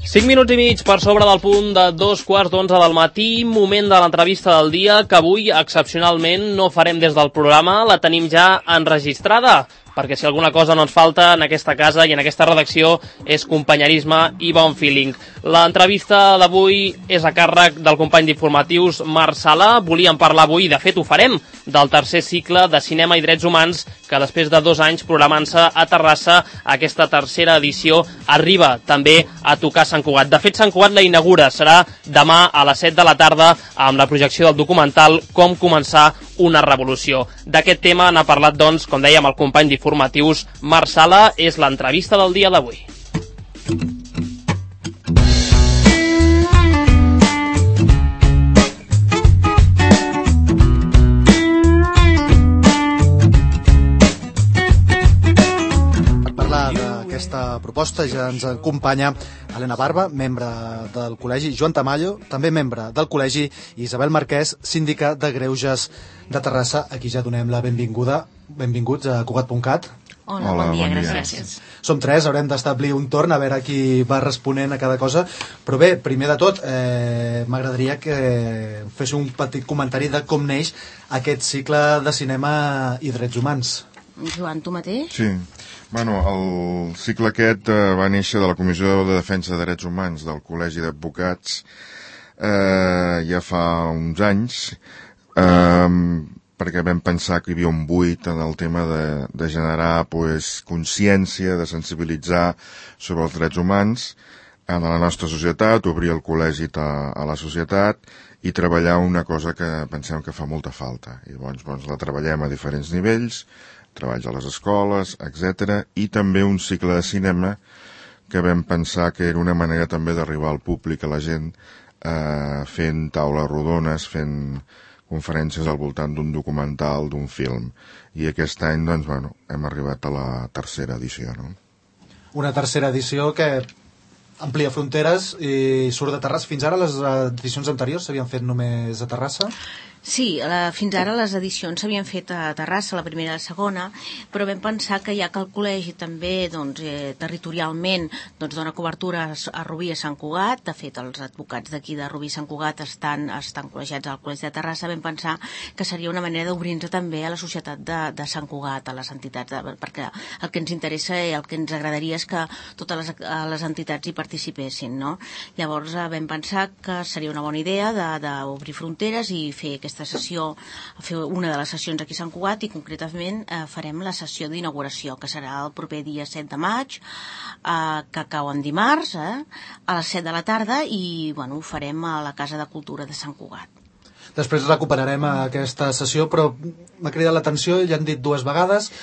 5 minuts i mig per sobre del punt de 2:15 del matí, moment de l'entrevista del dia, que avui, excepcionalment, no farem des del programa, la tenim ja enregistrada, perquè si alguna cosa no ens falta en aquesta casa i en aquesta redacció és companyerisme i bon feeling. L'entrevista d'avui és a càrrec del company d'informatius Marc Sala. Volíem parlar avui, de fet ho farem, del tercer cicle de cinema i drets humans, que després de 2 anys programant-se a Terrassa, aquesta tercera edició arriba també a tocar Sant Cugat. De fet, Sant Cugat la inaugura, serà demà a les 7 de la tarda amb la projecció del documental Com començar una revolució. D'aquest tema n'ha parlat, doncs, com dèiem, el company d'informatius Marc Sala. És l'entrevista del dia d'avui. Aquesta proposta ja ens acompanya Helena Barba, membre del col·legi, Joan Tamayo, també membre del col·legi, i Isabel Marquès, síndica de Greuges de Terrassa. Aquí ja donem la benvinguda. Benvinguts a Cugat.cat. Hola, bon dia, gràcies. Som 3, haurem d'establir un torn, a veure qui va responent a cada cosa. Però bé, primer de tot, m'agradaria que fes un petit comentari de com neix aquest cicle de cinema i drets humans. Joan, tu mateix? Sí. Bueno, el cicle aquest va néixer de la Comissió de Defensa de Drets Humans del Col·legi d'Advocats ja fa uns anys, perquè vam pensar que hi havia un buit en el tema de generar consciència, de sensibilitzar sobre els drets humans en la nostra societat, obrir el col·legi a la societat i treballar una cosa que pensem que fa molta falta. I llavors la treballem a diferents nivells, treballs a les escoles, etc. I també un cicle de cinema que vam pensar que era una manera també d'arribar al públic, a la gent, fent taules rodones, fent conferències al voltant d'un documental, d'un film. I aquest any, doncs, hem arribat a la tercera edició, no? Una tercera edició que amplia fronteres i surt de Terrassa. Fins ara les edicions anteriors s'havien fet només a Terrassa? Sí, fins ara les edicions s'havien fet a Terrassa, la primera i la segona, però vam pensar que ja que el col·legi també territorialment dona cobertura a Rubí i a Sant Cugat, de fet els advocats d'aquí de Rubí i Sant Cugat estan col·legiats al col·legi de Terrassa, vam pensar que seria una manera d'obrir-nos també a la societat de Sant Cugat, a les entitats, perquè el que ens interessa i el que ens agradaria és que totes les entitats hi participessin, no? Llavors vam pensar que seria una bona idea d'obrir fronteres i fer aquesta sessió, fer una de les sessions aquí a Sant Cugat, i concretament farem la sessió d'inauguració, que serà el proper dia 7 de maig, que cau en dimarts, a les 7 de la tarda, i ho farem a la Casa de Cultura de Sant Cugat. Després recuperarem aquesta sessió, però m'ha cridat l'atenció, ja han dit 2 vegades,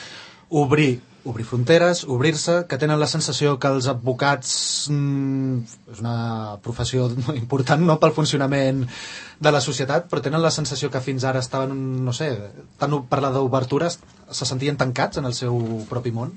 obrir fronteres, obrir-se, que tenen la sensació que els advocats és una professió important, no?, pel funcionament de la societat, però tenen la sensació que fins ara estaven, no sé, tant parlar d'obertures, se sentien tancats en el seu propi món?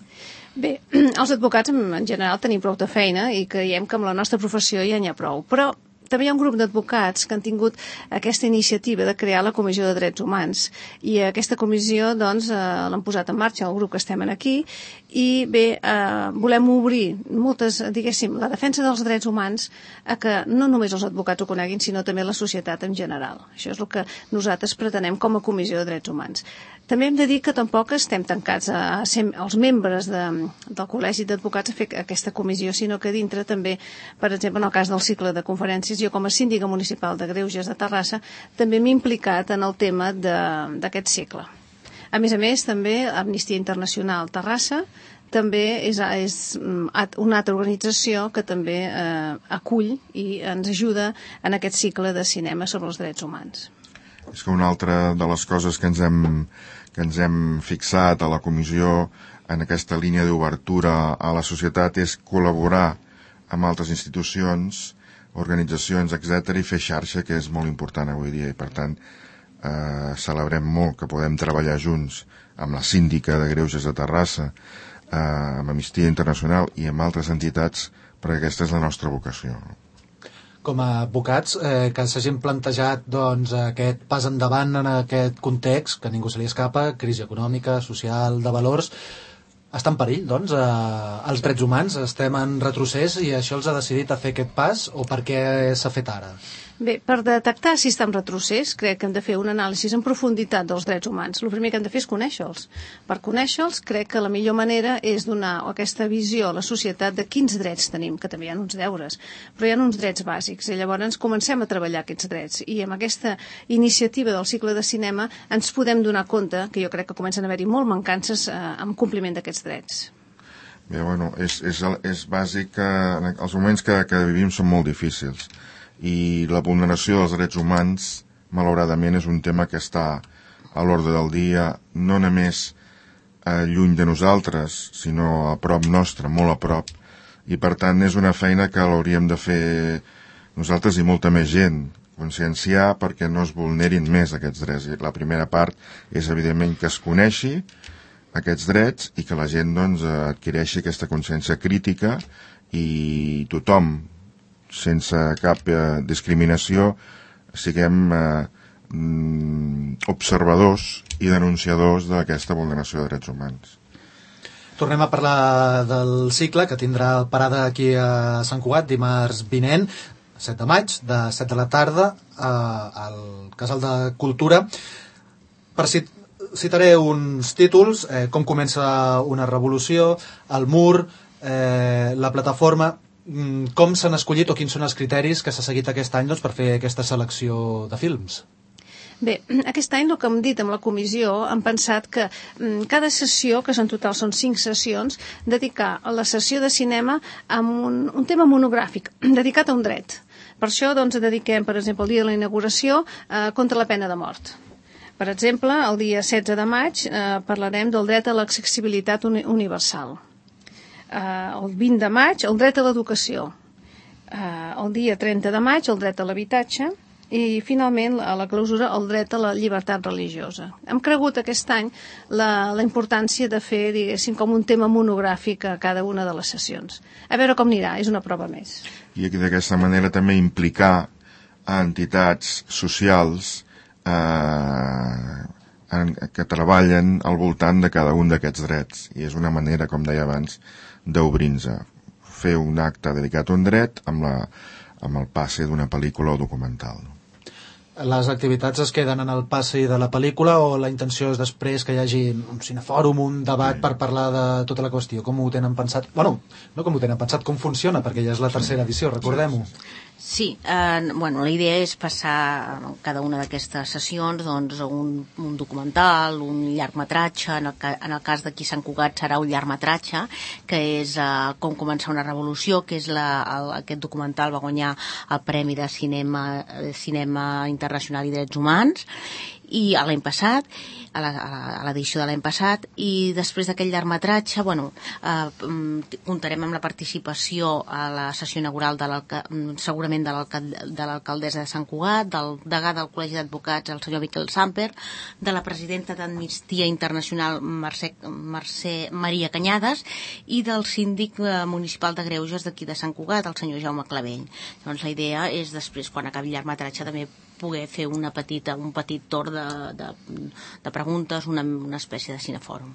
Bé, els advocats en general tenim prou de feina i creiem que amb la nostra professió ja n'hi ha prou, però també hi ha un grup d'advocats que han tingut aquesta iniciativa de crear la Comissió de Drets Humans, i aquesta comissió l'han posat en marxa el grup que estem aquí, i bé, volem obrir la defensa dels drets humans a que no només els advocats ho coneguin, sinó també la societat en general. Això és el que nosaltres pretenem com a Comissió de Drets Humans. També hem de dir que tampoc estem tancats a ser els membres del Col·legi d'Advocats a fer aquesta comissió, sinó que dintre també, per exemple, en el cas del cicle de conferències, jo com a síndica municipal de Greuges de Terrassa també m'he implicat en el tema d'aquest cicle. A més, també Amnistia Internacional Terrassa també és una altra organització que també acull i ens ajuda en aquest cicle de cinema sobre els drets humans. És que una altra de les coses que ens hem fixat a la comissió en aquesta línia d'obertura a la societat és col·laborar amb altres institucions, organitzacions, etc., i fer xarxa, que és molt important avui dia, i per tant celebrem molt que podem treballar junts amb la síndica de Greuges de Terrassa, amb Amnistia Internacional i amb altres entitats, perquè aquesta és la nostra vocació. Com a advocats que s'hagin plantejat aquest pas endavant en aquest context, que ningú se li escapa, crisi econòmica, social, de valors, Està en perill, doncs, els drets humans? Estem en retrocés i això els ha decidit a fer aquest pas, o per què s'ha fet ara? Bé, per detectar si està en retrocés, crec que hem de fer un anàlisi en profunditat dels drets humans. El primer que hem de fer és conèixer-los. Per conèixer-los, crec que la millor manera és donar aquesta visió a la societat de quins drets tenim, que també hi ha uns deures, però hi ha uns drets bàsics, i llavors comencem a treballar aquests drets. I amb aquesta iniciativa del cicle de cinema ens podem donar compte, que jo crec que comencen a haver-hi molt mancances en compliment d'aquests drets. Bé, bueno, és bàsic que els moments que vivim són molt difícils, i la vulneració dels drets humans, malauradament, és un tema que està a l'ordre del dia, no només lluny de nosaltres, sinó a prop nostre, molt a prop, i per tant és una feina que l'hauríem de fer nosaltres i molta més gent, conscienciar perquè no es vulnerin més aquests drets. I la primera part és, evidentment, que es coneixi aquests drets i que la gent, doncs, adquireixi aquesta consciència crítica i tothom, sense cap discriminació, siguem observadors i denunciadors d'aquesta vulneració de drets humans. Tornem a parlar del cicle que tindrà parada aquí a Sant Cugat dimarts vinent, 7 de maig, de 7 de la tarda, al Casal de Cultura. Citaré uns títols, com comença una revolució, el mur, la plataforma. Com s'han escollit o quins són els criteris que s'ha seguit aquest any, doncs, per fer aquesta selecció de films? Bé, aquest any, el que hem dit amb la comissió, hem pensat que cada sessió, que en total són 5 sessions, dedicar a la sessió de cinema a un tema monogràfic, dedicat a un dret. Per això, doncs, dediquem, per exemple, el dia de la inauguració contra la pena de mort. Per exemple, el dia 16 de maig parlarem del dret a l'accessibilitat universal. El 20 de maig, el dret a l'educació. El dia 30 de maig, el dret a l'habitatge. I, finalment, a la clausura, el dret a la llibertat religiosa. Hem cregut aquest any la importància de fer, diguéssim, com un tema monogràfic a cada una de les sessions. A veure com anirà, és una prova més. I d'aquesta manera també implicar a entitats socials que treballen al voltant de cada un d'aquests drets. I és una manera, com deia abans, d'obrir-nos a fer un acte dedicat a un dret amb el passe d'una pel·lícula o documental. Les activitats es queden en el passi de la pel·lícula o la intenció és després que hi hagi un cinefòrum, un debat per parlar de tota la qüestió? Com ho tenen pensat? Bueno, no com ho tenen pensat, com funciona, perquè ja és la tercera edició, recordem-ho. Sí, bueno, la idea és passar cada una d'aquestes sessions doncs, un documental, un llargmetratge, en el cas d'aquí Sant Cugat serà un llargmetratge, que és Com començar una revolució, que és aquest documental va guanyar el Premi de Cinema Internacional i Drets Humans, i l'any passat, a l'edició de l'any passat, i després d'aquell llargmetratge, bueno, comptarem amb la participació a la sessió inaugural segurament de l'alcaldessa de Sant Cugat, del degà del Col·legi d'Advocats, el senyor Miquel Samper, de la presidenta d'Amnistia Internacional, Maria Canyades, i del síndic municipal de Greuges d'aquí de Sant Cugat, el senyor Jaume Clavell. Doncs la idea és després, quan acabi el llargmetratge, també poder fer un petit torn de preguntes, una espècie de cinefòrum.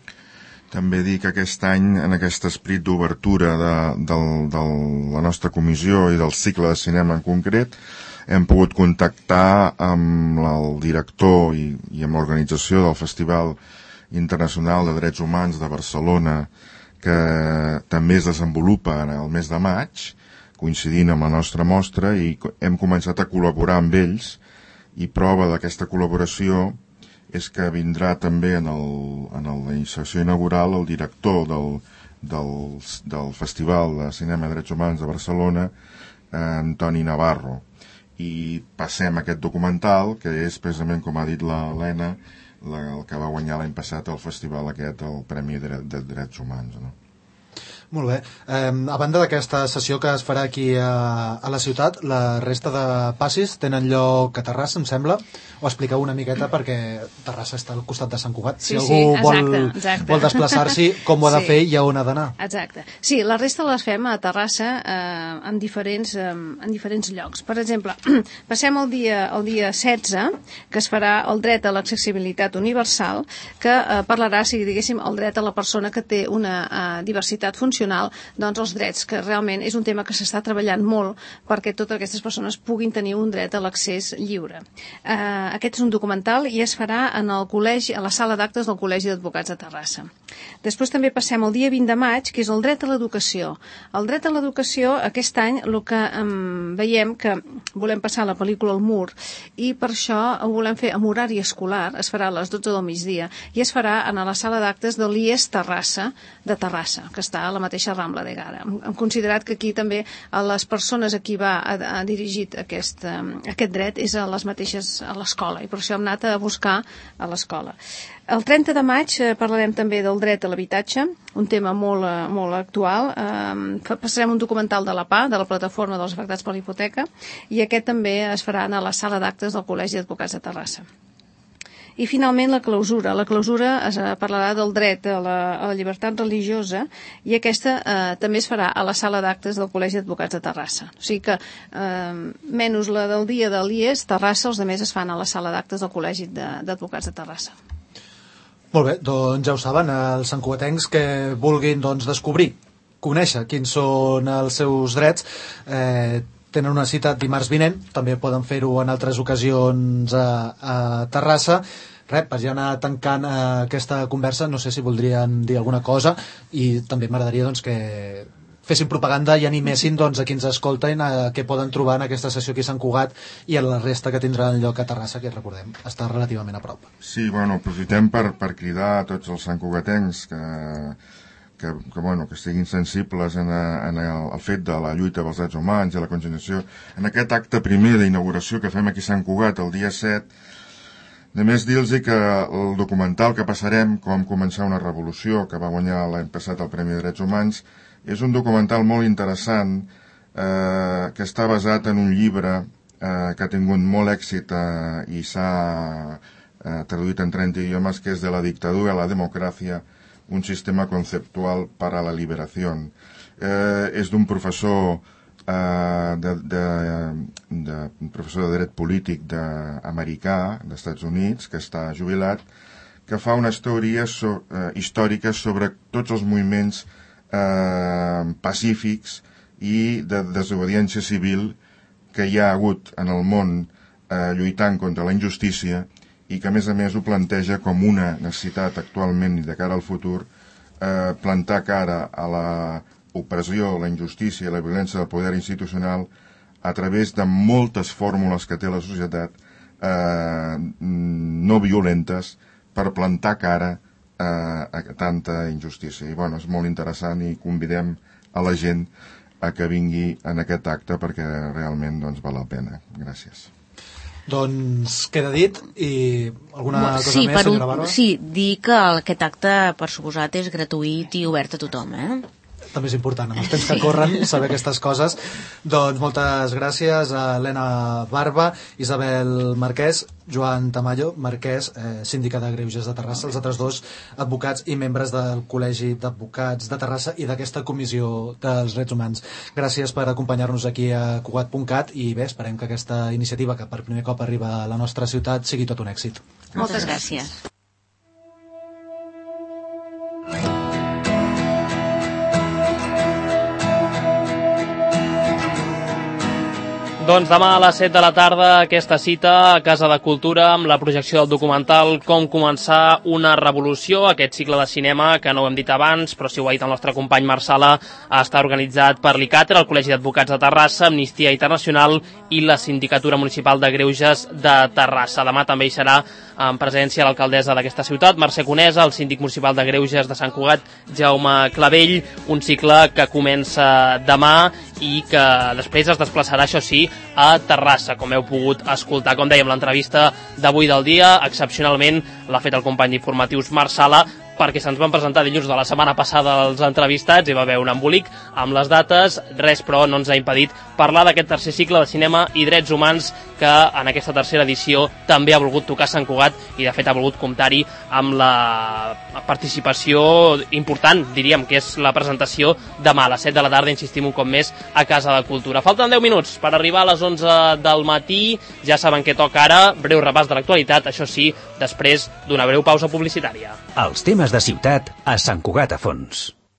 També dir que aquest any, en aquest esprit d'obertura de la nostra comissió i del cicle de cinema en concret, hem pogut contactar amb el director i amb l'organització del Festival Internacional de Drets Humans de Barcelona, que també es desenvolupa el mes de maig, coincidint amb la nostra mostra, i hem començat a col·laborar amb ells, i prova d'aquesta col·laboració és que vindrà també en la sessió inaugural el director del Festival de Cinema i Drets Humans de Barcelona, Antoni Navarro. I passem aquest documental, que és precisament, com ha dit l'Helena, el que va guanyar l'any passat el festival aquest, el Premi de Drets Humans, no? Molt bé. A banda d'aquesta sessió que es farà aquí a la ciutat, la resta de passis tenen lloc a Terrassa, em sembla, o expliqueu una miqueta perquè Terrassa està al costat de Sant Cugat. Si algú vol desplaçar-s'hi, com ho ha de fer i a on ha d'anar. Exacte. Sí, la resta les fem a Terrassa en diferents llocs. Per exemple, passem el dia 16, que es farà el dret a l'accessibilitat universal, que parlarà, si diguéssim, el dret a la persona que té una diversitat funcional, doncs els drets, que realment és un tema que s'està treballant molt perquè totes aquestes persones puguin tenir un dret a l'accés lliure. Aquest és un documental i es farà en el col·legi, a la sala d'actes del Col·legi d'Advocats de Terrassa. Després també passem el dia 20 de maig, que és el dret a l'educació. El dret a l'educació, aquest any, el que veiem que volem passar la pel·lícula al mur i per això ho volem fer amb horari escolar, es farà a les 12 del migdia i es farà a la sala d'actes de l'IES Terrassa, de Terrassa, que està a la mateixa Rambla de Gara. Hem considerat que aquí també a les persones a qui va dirigit aquest dret és a les mateixes a l'escola i per això hem anat a buscar a l'escola. El 30 de maig parlarem també del dret a l'habitatge, un tema molt actual. Passarem un documental de la PA, de la Plataforma dels Afectats per la Hipoteca, i aquest també es farà a la sala d'actes del Col·legi d'Advocats de Terrassa. I finalment la clausura. La clausura es parlarà del dret a la llibertat religiosa i aquesta també es farà a la sala d'actes del Col·legi d'Advocats de Terrassa. O sigui que, menys la del dia de l'IES, Terrassa, els altres es fan a la sala d'actes del Col·legi d'Advocats de Terrassa. Molt bé, doncs ja ho saben, els santcugatencs que vulguin descobrir, conèixer quins són els seus drets, tenen una cita dimarts vinent, també poden fer-ho en altres ocasions a Terrassa. Per ja anar tancant aquesta conversa, no sé si voldrien dir alguna cosa i també m'agradaria que fessin propaganda i animessin a qui ens escolten què poden trobar en aquesta sessió aquí a Sant Cugat i en la resta que tindran lloc a Terrassa, que recordem, està relativament a prop. Sí, aprofitem per cridar a tots els santcugatencs que estiguin sensibles al fet de la lluita pels drets humans i la consignació. En aquest acte primer d'inauguració que fem aquí a Sant Cugat el dia 7, només dir-los que el documental que passarem, Com començar una revolució, que va guanyar l'any passat el Premi de Drets Humans, és un documental molt interessant que està basat en un llibre que ha tingut molt èxit i s'ha traduït en 30 idiomes, que és De la dictadura a la democràcia, un sistema conceptual para la liberación. És d'un professor professor de dret polític americà, dels Estats Units, que està jubilat, que fa una història històrica sobre tots els moviments pacífics i de desobediència civil que hi ha hagut en el món lluitant contra la injustícia i que a més ho planteja com una necessitat actualment i de cara al futur plantar cara a la opressió, la injustícia i la violència del poder institucional a través de moltes fórmules que té la societat no violentes per plantar cara a tanta injustícia. I és molt interessant i convidem a la gent a que vingui en aquest acte perquè realment val la pena. Gràcies. Doncs queda dit i alguna cosa més, senyora Barba? Sí, dir que aquest acte, per suposat, és gratuït i obert a tothom, També és important, amb els temps que corren, saber aquestes coses. Doncs moltes gràcies a Helena Barba, Isabel Marquès, Joan Tamayo, Marquès, síndica de Greuges de Terrassa, els altres dos advocats i membres del Col·legi d'Advocats de Terrassa i d'aquesta Comissió dels Drets Humans. Gràcies per acompanyar-nos aquí a Cugat.cat i bé, esperem que aquesta iniciativa que per primer cop arriba a la nostra ciutat sigui tot un èxit. Moltes gràcies. Doncs demà a les 7 de la tarda aquesta cita a Casa de Cultura amb la projecció del documental Com començar una revolució, aquest cicle de cinema que no ho hem dit abans, però si ho ha dit el nostre company Marsala, està organitzat per l'ICATER, el Col·legi d'Advocats de Terrassa, Amnistia Internacional i la Sindicatura Municipal de Greuges de Terrassa. Demà també hi serà en presència l'alcaldessa d'aquesta ciutat, Mercè Conesa, el síndic municipal de Greuges de Sant Cugat, Jaume Clavell, un cicle que comença demà i que després es desplaçarà, això sí, a Terrassa, com heu pogut escoltar. Com dèiem, l'entrevista d'avui del dia, excepcionalment, l'ha fet el company d'informatius Marc Sala, perquè se'ns van presentar dilluns de la setmana passada els entrevistats, hi va haver un embolic amb les dates, res però no ens ha impedit parlar d'aquest tercer cicle de cinema i drets humans que en aquesta tercera edició també ha volgut tocar Sant Cugat i de fet ha volgut comptar-hi amb la participació important, diríem, que és la presentació demà a les 7 de la tarda, insistim un cop més, a Casa de Cultura. Falten 10 minuts per arribar a les 11 del matí, ja saben què toca ara, breu repàs de l'actualitat, això sí, després d'una breu pausa publicitària. Els temes de ciutat a Sant Cugat a fons.